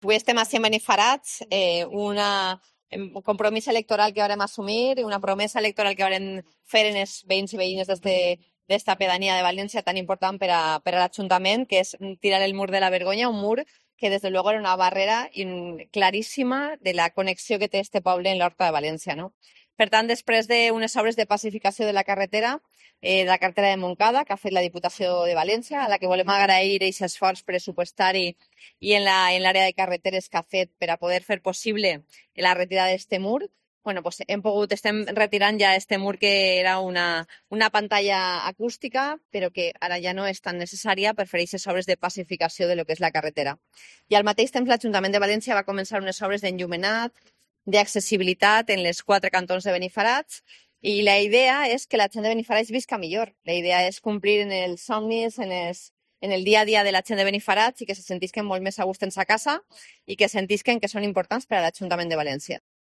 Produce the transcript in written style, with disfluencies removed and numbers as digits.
Avui estem a 100 Benifarats, un compromís electoral que vam assumir, una promesa electoral que vam fer en els veïns i veïnes d'esta pedania de València tan important per a l'Ajuntament, que és tirar el mur de la Vergonya, un mur que des de luego era una barrera claríssima de la connexió que té este poble en l'Horta de València, no? Per tant, després d'unes obres de pacificació de la carretera de Montcada, que ha fet la Diputació de València, a la que volem agrair aquest esforç pressupostari i en l'àrea de carreteres que ha fet per a poder fer possible la retirada d'este mur, bueno, pues estem retirant ja este mur que era una pantalla acústica, però que ara ja no és tan necessària per fer aquestes obres de pacificació de lo que és la carretera. I al mateix temps l'Ajuntament de València va començar unes obres d'enllumenat, d'accessibilitat en les 4 cantons de Benifarats, i la idea és que la gent de Benifarats visca millor. La idea és complir en els somnis, en el dia a dia de la gent de Benifarats i que se sentisquen molt més a gust en sa casa i que sentisquen que són importants per a l'Ajuntament de València.